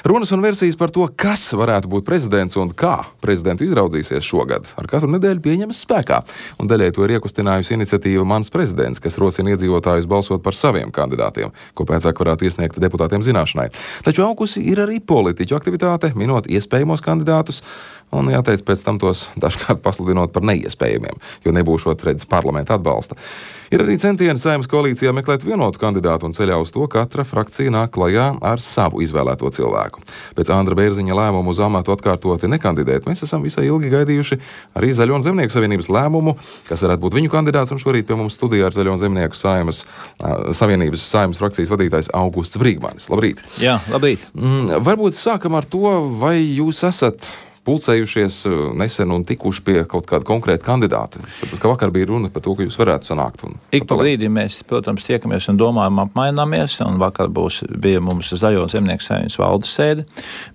Runas un versijas par to, kas varētu būt prezidents un kā prezidentu izraudzīsies šogad, ar katru nedēļu pieņemas spēkā. Un daļai to ir iekustinājusi iniciatīva Mans prezidents, kas rosina iedzīvotājus balsot par saviem kandidātiem, ko pēcāk varētu iesniegt deputātiem zināšanai. Taču augusi ir arī politiķu aktivitāte, minot iespējamos kandidātus, un jāteic pēc tam tos dažkārt pasludinot par neiespējamiem, jo nebūšot redzes parlamenta atbalsta. Ir arī centieni Saeimas koalīcijā meklēt vienotu kandidātu un ceļā uz to katra frakcija nāk klajā ar savu izvēlēto cilvēku. Pēc Andra Bērziņa lēmumu uz amatu atkārtoti nekandidēt, mēs esam visai ilgi gaidījuši arī Zaļo un Zemnieku savienības lēmumu, kas varētu būt viņu kandidāts, un šorīt pie mums studijā ar Zaļo un Zemnieku savienības Saeimas frakcijas vadītājs Augusts Brīgmanis. Labrīt! Jā, labrīt! Varbūt sākam ar to, vai jūs esat pulcējušies nesen un tikuši pie kaut kāda konkrēta kandidāta. Sapratu, ka vakar bija runa par to, ka jūs varētu sanākt. Ik pa brīdim mēs, protams, tiekamies un domājam, apmaināmies, un vakar bija mums Zaļo un Zemnieku savienības valdes sēde.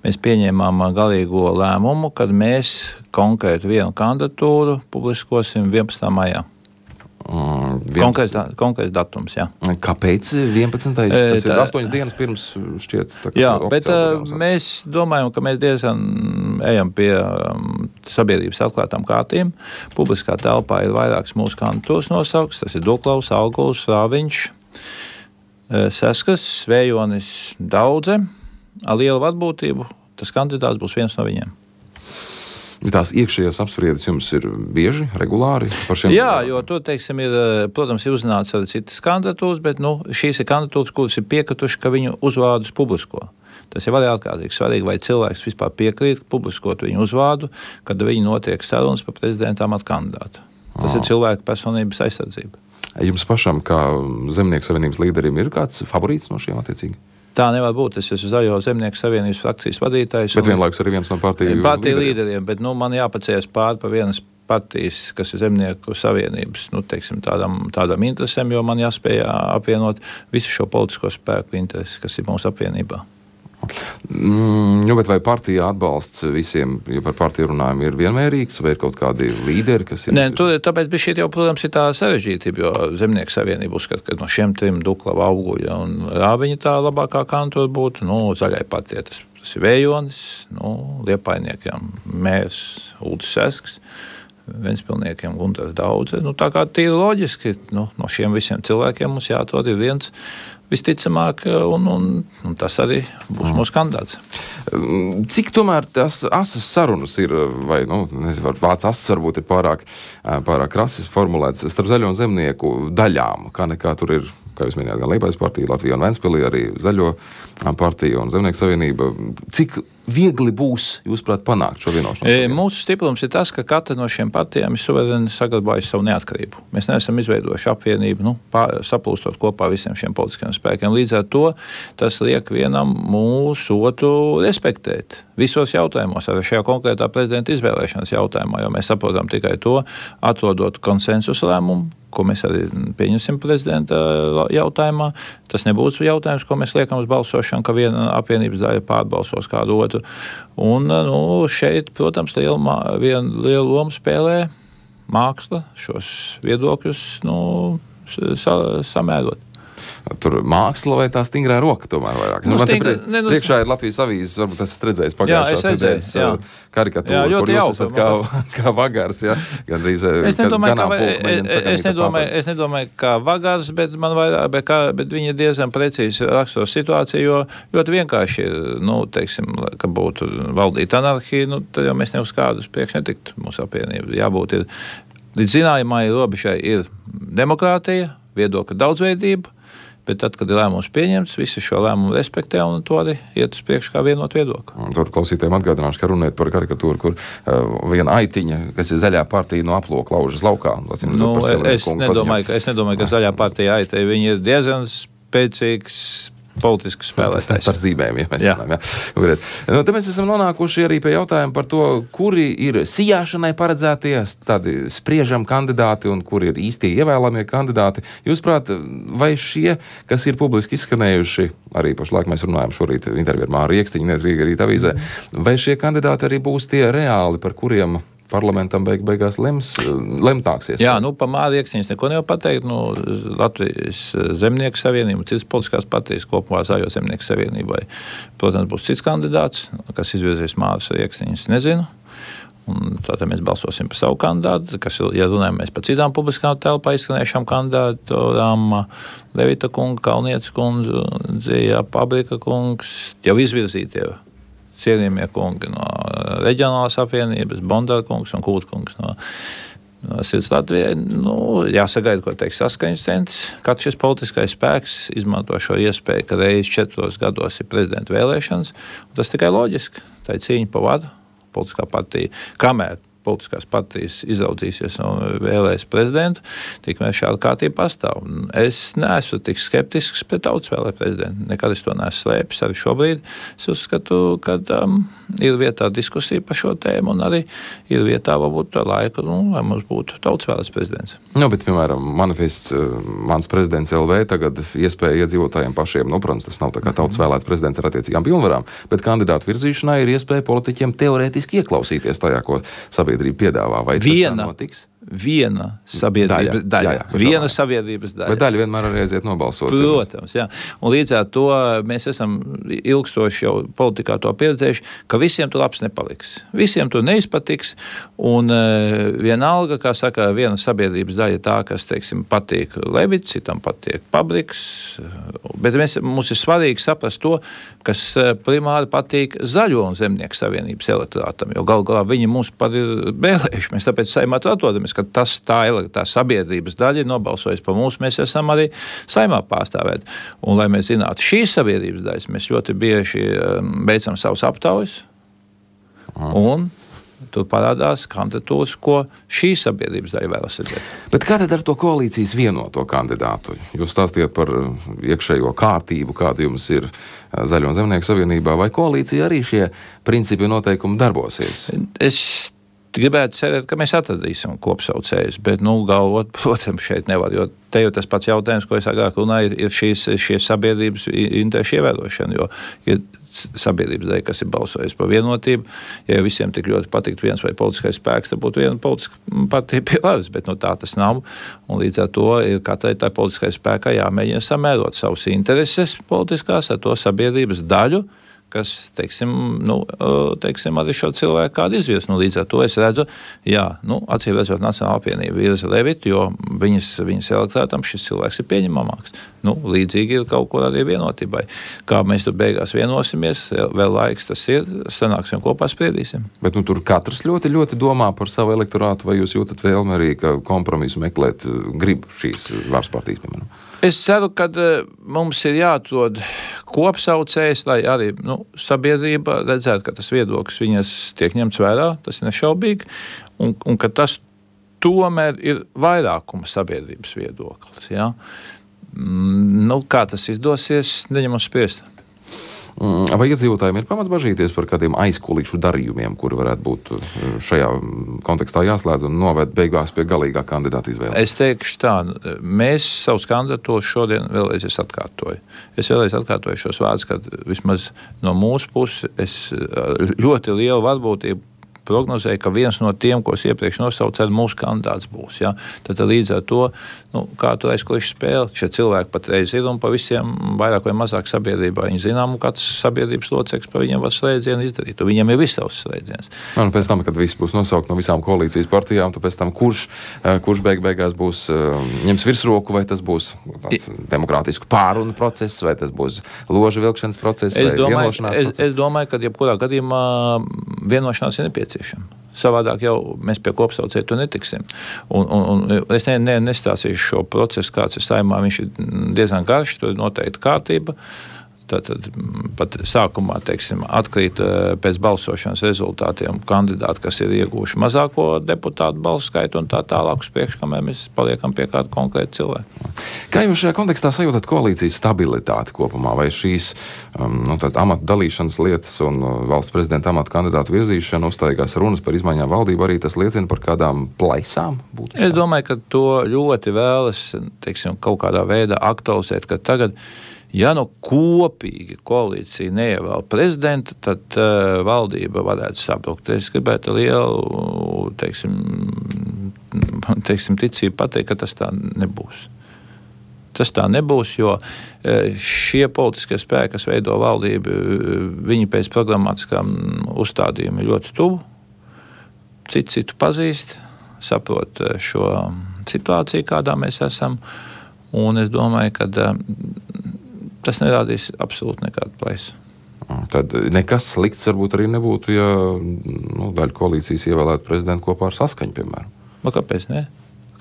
Mēs pieņēmām galīgo lēmumu, kad mēs konkrēti vienu kandidatūru publiskosim 11. maijā. Konkrēts datums, jā. Kāpēc 11. Tas ir 8 dienas pirms šķiet. Jā, bet mēs domājam, ka mēs diezgan ejam pie sabiedrības atklātām kārtīm. Publiskā telpā ir vairākas mūsu kandidatūras nosaukts. Tas ir Duklaus, Auguls, Rāviņš, Seskas, Svējonis, Daudze. Ar lielu atbūtību tas kandidāts būs viens no viņiem. Tās iekšējās apspriedes jums ir bieži, regulāri par šiem? Jā, jo to, teiksim, protams, ir uzzināts arī citas kandidatūras, bet šīs ir kandidatūras, kuras ir piekrituši, ka viņu uzvārdus publisko. Tas ir arī ārkārtīgi svarīgi, vai cilvēks vispār piekrīt publiskot viņu uzvārdu, kad viņi notiek sarunas par prezidenta amata kandidātu. Tas ir cilvēka personības aizsardzība. Jums pašam, kā Zemnieku savienības līderim, ir kāds favorīts no šiem attiecīgi? Tā nevar būt. Es esmu Zaļo Zemnieku savienības frakcijas vadītājs. Bet vienlaikus arī viens no partiju līderiem. Bet man jāpacējas pāri pa vienas partijas, kas ir Zemnieku savienības, tādām interesēm, jo man jāspēj apvienot visu šo politisko spēku interesi, kas ir mūsu apvienībā. Bet vai partija atbalsts visiem, ja par partiju runājam, ir vienmērīgs, vai ir kaut kādi līderi, kas ir? Nē, tāpēc bija šī jau, protams, ir tā sarežģītība, jo Zemnieku savienība uzskata, ka no šiem trim Duklava, Auguļa un Rāviņa tā labākā kandidatūra būtu, Zaļai partijai tas ir Vējonis, Liepājniekiem Mērs Uldis Sesks, Ventspilniekiem Guntars Daudze. Tā kā tīri loģiski, no šiem visiem cilvēkiem mums jāatrod ir viens visticamāk, un tas arī būs mūsu kandidāts. Cik tomēr tās asas sarunas ir, vai, nezinu, vārds asas varbūt ir pārāk krasi formulēts starp Zaļo un Zemnieku daļām, kā nekā tur ir, kā jūs minējāt, gan Liepājas partija, Latvija un Ventspilī, arī Zaļo partija un Zemnieku savienība. Cik viegli būs, jūsuprāt, panākt šo vienošanos? Mūsu stiprums ir tas, ka katra no šiem partijām ir suverēni saglabājusi savu neatkarību. Mēs neesam izveidojuši apvienību, saplūstot kopā visiem šiem politiskiem spēkiem. Līdz ar to tas liek vienam mūsu otru respektēt visos jautājumos, arī šajā konkrētā prezidenta izvēlēšanas jautājumā, jo mēs saprotam tikai to, atrodot konsensusu lēmumu, ko mēs arī pieņemsim prezidenta jautājumā. Tas nebūtu jautājums, ko mēs liekam uz balsošanu, ka viena apvienības daļa pārbalsos kādu otru. Un šeit, protams, lielu lomu spēlē māksla šos viedokļus samērot. Tur māksla vai tā stingrā roka tomēr vairāk? Priekšā ir Latvijas avīzes, varbūt esat redzējis pagājušās nedēļas karikatūru, kur jūs esat kā Vagars, ja? Es nedomāju, kā Vagars, bet viņi diezgan precīzi raksturo situāciju, jo ļoti vienkārši ir, ka būtu valdīt anarhija, tad jau mēs ne uz kādus priekš netiktu mūsu apvienību. Jābūt ir, līdz zināmai robežai ir demokrātija, viedokļa daudzveidība, bet tad, kad ir lēmums pieņemts, visi šo lēmumu respektē un to arī iet uz priekšu kā vienot viedokli. Tur klausītājiem atgādināšu, ka runājot par karikatūru, kur viena aitiņa, kas ir Zaļā partija, no aploka laužas laukā. Es nedomāju, ka Zaļā partija aita, viņi ir diezgan spēcīgs politisks spēlētājs. Par zīmēm, ja mēs runājam. Tad mēs esam nonākuši arī pie jautājuma par to, kuri ir sijāšanai paredzētie, tādi spriežam kandidāti un kuri ir īstie ievēlamie kandidāti. Jūsuprāt, vai šie, kas ir publiski izskanējuši, arī pašlaik mēs runājam šorīt interviju ar Māru Iekstiņu, Rīga Rīta avīzē, vai šie kandidāti arī būs tie reāli, par kuriem parlamentam beigās lemtāksies. Jā, pa Māri Iekstiņas neko nevar pateikt. Latvijas Zemnieku savienība, citas politiskās partijas kopumā Zaļo Zemnieku savienībai. Protams, būs cits kandidāts, kas izvirzīs Māris Iekstiņas, nezinu. Un tātad mēs balsosim par savu kandidātu, kas, ja runājam mēs par citām publiskām telpā izskanējušām kandidātām, Levita kunga, Kalnietes kundze, Pabrika kungs, jau izvirzītie cienījamie kungi no Reģionālās apvienības, Bondara kungs un Kūta kungs no Sirds Latvijai. Jāsagaida, ko teiks Saskaņas centrs. Katrs šis politiskais spēks izmanto šo iespēju, ka reiz 4 gados ir prezidenta vēlēšanas, un tas tikai loģiski. Tā ir cīņa par varu. Politiskā partija, kamēr politiskās partijas izraudzīsies un vēlēs prezidentu, tikmēr šāda kārtība pastāv. Es neesmu tik skeptisks pret tautas vēlē prezidentu. Nekad es to neesmu slēpis. Arī šobrīd es uzskatu, ka ir vietā diskusija par šo tēmu un arī ir vietā varbūt laika, lai mums būtu tautas vēlēts prezidents. Bet, piemēram, manifests Mans prezidents LV tagad iespēja iedzīvotājiem pašiem, protams, tas nav tā kā tautas vēlēts prezidents ar attiecīgām pilnvarām, bet kandidātu virzīšanai ir iespēja politiķiem teorētiski ieklausīties tajā, ko sabiedrība piedāvā. Vai tas tā notiks? Viena sabiedrības daļa. Viena sabiedrības daļa. Bet daļa vienmēr arī aiziet nobalsot. Protams, jā. Un līdz ar to mēs esam ilgstoši jau politikā to pieredzējuši, ka visiem tur labs nepaliks. Visiem tur neizpatiks, un vienalga, kā saka, viena sabiedrības daļa tā, kas, teiksim, patīk Levits, citam patīk Pabriks, bet mums ir svarīgi saprast to, kas primāri patīk Zaļo un Zemnieku savienības elektorātam, jo galu galā viņi mums par ir vēlējuši. Mēs tāpēc Saeimā atrodamies, ka tā sabiedrības daļa ir nobalsojusi par mums, mēs esam arī Saeimā pārstāvēti. Un, lai mēs zinātu šīs sabiedrības daļas, mēs ļoti bieži veicam savus aptaujas, un tur parādās kandidatūras, ko šī sabiedrības daļa vēlas redzēt. Bet kā tad ar to koalīcijas vienoto kandidātu? Jūs stāstījāt par iekšējo kārtību, kāda jums ir Zaļo un Zemnieku savienībā, vai koalīcija arī šie principi un noteikumi darbosies? Es gribētu cerēt, ka mēs atradīsim kopsaucējus, bet, galvot, protams, šeit nevar, jo te jau tas pats jautājums, ko es agrāk runāju, ir šīs sabiedrības interešu ievērošana, jo ir sabiedrības daļa, kas ir balsojis par vienotību. Ja visiem tik ļoti patikt viens vai politiskais spēks, tad būtu viena politiska partija pie varas, bet tā tas nav. Un līdz ar to ir katrai tā politiskai spēkai jāmēģina samērot savus intereses politiskās ar to sabiedrības daļu, kas, teiksim, arī šo cilvēku kādu izvirs. Līdz ar to es redzu, acīm redzot, Nacionālā apvienība virza Levitu, jo viņas elektorātam šis cilvēks ir pieņemamāks. Līdzīgi ir kaut kur arī vienotībai. Kā mēs tur beigās vienosimies, vēl laiks tas ir, sanāksim kopā spriedīsim. Bet tur katrs ļoti, ļoti domā par savu elektorātu, vai jūs jūtat vēlmi arī, ka kompromisu meklēt grib šīs varas partijas, piemēram? Es ceru, ka mums ir jāatrod kopsaucējs, lai arī sabiedrība redzētu, ka tas viedoklis viņas tiek ņemts vērā, tas ir nešaubīgi, un ka tas tomēr ir vairākuma sabiedrības viedoklis. Ja? Kā tas izdosies, neņemam spriest. Vai iedzīvotājiem ir pamats bažīties par kādiem aizkulīšu darījumiem, kuri varētu būt šajā kontekstā jāslēdz un noved beigās pie galīgā kandidāta izvēles? Es teikšu tā, mēs savus kandidatūrus šodien vēlreiz atkārtoju. Es vēlreiz atkārtoju šos vārdus, ka vismaz no mūsu puses es ļoti lielu varbūtību prognozēja, ka viens no tiem, ko es iepriekš nosaucu, arī mūsu kandidāts būs. Ja? Tad līdz ar to, kā tur aizkulisku spēle, šie cilvēki patreiz ir un pa visiem vairāk vai mazāk sabiedrībā viņi zinām, un katrs sabiedrības loceklis par viņiem var slēdzienu izdarīt. Un viņiem ir viss savs slēdziens. Pēc tam, kad viss būs nosaukt no visām koalīcijas partijām, tad pēc tam kurš beigās būs ņems virsroku, vai tas būs demokrātisku pārunu process, vai tas būs ložu vilkšanas process, vai vienošanās process? Es domāju, ka jebkurā gadījumā vienošanās ir nepieciešama. Savādāk jau mēs pie kopsaucēja to netiksim. Un es nestāstīšu šo procesu, kāds ir Saeimā, viņš ir diezgan garš, tur ir noteikti kārtība. Tātad pat sākumā, teiksim, atkrīt pēc balsošanas rezultātiem kandidāti, kas ir ieguvuši mazāko deputātu balsu skaitu un tā tālāk uz priekšu, kamēr mēs paliekam pie kāda konkrēta cilvēka. Kā jūs šajā kontekstā sajūtat koalīcijas stabilitāti kopumā? Vai šīs amatu dalīšanas lietas un valsts prezidenta amatu kandidātu virzīšana, uztaigās runas par izmaiņām valdību, arī tas liecina par kādām plaisām? Būtiskām? Es domāju, ka to ļoti vēlas, teiksim, kaut kādā veidā aktualizēt, ka tagad Ja kopīgi koalīcija neievēl prezidentu, tad valdība varētu sabrukt. Es gribētu lielu, teiksim, ticību pateikt, ka tas tā nebūs. Tas tā nebūs, jo šie politiskie spēki, kas veido valdību, viņi pēc programmatiskām uzstādījumiem ir ļoti tuvu, citu pazīst, saprot šo situāciju, kādā mēs esam, un es domāju, ka tas nerādīs absolūti nekādu plaisu. Tad nekas slikts varbūt arī nebūtu, ja daļa koalīcijas ievēlētu prezidentu kopā ar Saskaņu, piemēram. Kāpēc ne?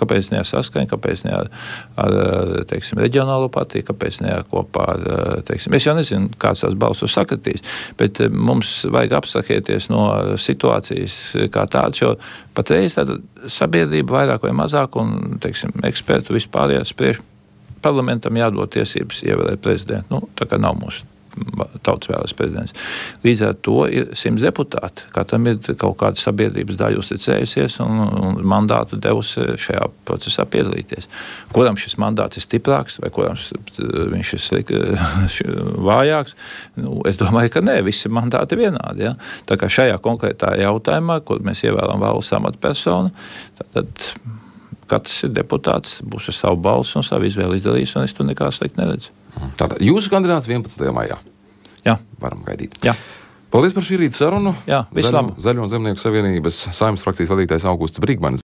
Kāpēc ne ar Saskaņu, kāpēc ne ar teiksim, reģionālo partiju, kāpēc ne kopā ar, teiksim, es jau nezinu, kāds tās balsos sakritīs, bet mums vajag abstrahēties no situācijas kā tāds, jo patreiz tāda sabiedrība vairāk vai mazāk un, teiksim, ekspertu vispārējās spriež parlamentam jādod tiesības ievēlēt prezidentu. Tā kā nav mūsu tautas vēlēts prezidents. Līdz ar to ir 100 deputāti. Katram ir kaut kāda sabiedrības daļa uzticējusies un mandātu devusi šajā procesā piedalīties. Kuram šis mandāts ir stiprāks vai kuram viņš ir vājāks? Es domāju, ka nē, visi mandāti ir vienādi. Ja? Tā kā šajā konkrētā jautājumā, kur mēs ievēlam valsts amatpersonu, tad katrs ir deputāts, būs ar savu balsu un savu izvēli izdarījis, un es tur nekā slikti neredzu. Tātad jūsu kandidāts 11. maijā. Jā. Varam gaidīt. Jā. Paldies par šī rīta sarunu. Jā, vislabāk. Zaļo un Zemnieku savienības Saeimas frakcijas vadītājs Augusts Brīgmanis.